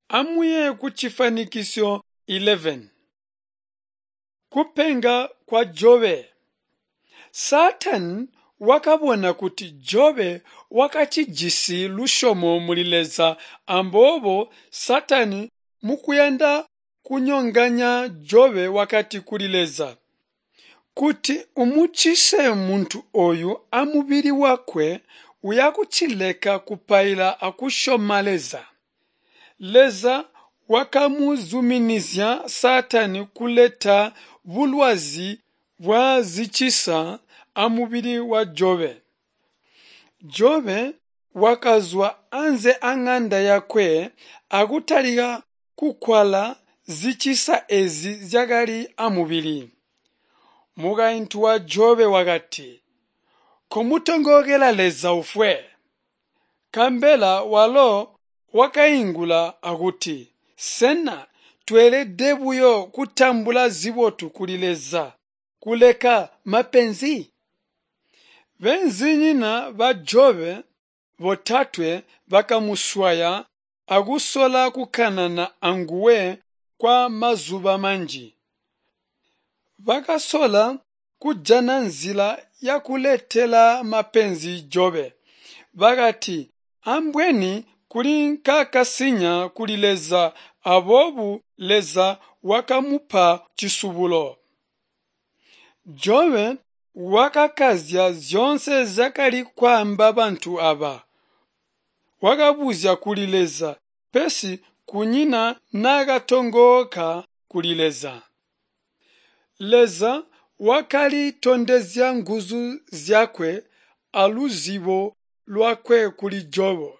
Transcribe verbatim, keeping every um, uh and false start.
Amuye kucifanikisyo eleven. Kupenga kwa Jobe. Saatani wakabona kuti Jobe wakacijisi lusyomo muli Leza amboobo Saatani mukuyanda kunyonganya Jobe wakati kuli Leza, "Kuti umucise muntu oyu amubili wakwe uyakucileka kupaila akusyoma Leza." Leza wakamuzuminizya Saatani kuleta bulwazi bwazicisa amubili wa Jobe. Jobe wakazwa anze aŋanda yakwe akutalika kukwala zicisa ezi zyakali amubili. Mukaintu wa Jobe wakati, "Komutongookela Leza ufwe." Nkabela walo wakaingula akuti, "Sena tweelede buyo kutambula zibotu kuli Leza, kuleka mapenzi?" Beenzinyina ba Jobe botatwe bakamuswaya akusola kukanana anguwe kwa mazuba manji. Bakasola kujana nzila yakuletela mapenzi Jobe. Bakati, ambweni kuli nkaakasinya kuli Leza aboobo Leza wakamupa cisubulo. Jobe wakakazya zyoonse zyakali kwaamba bantu aba. Wakabuzya kuli Leza, pesi kunyina naakatongooka kuli Leza. Leza wakalitondezya nguzu zyakwe aluzibo lwakwe kuli Jobo.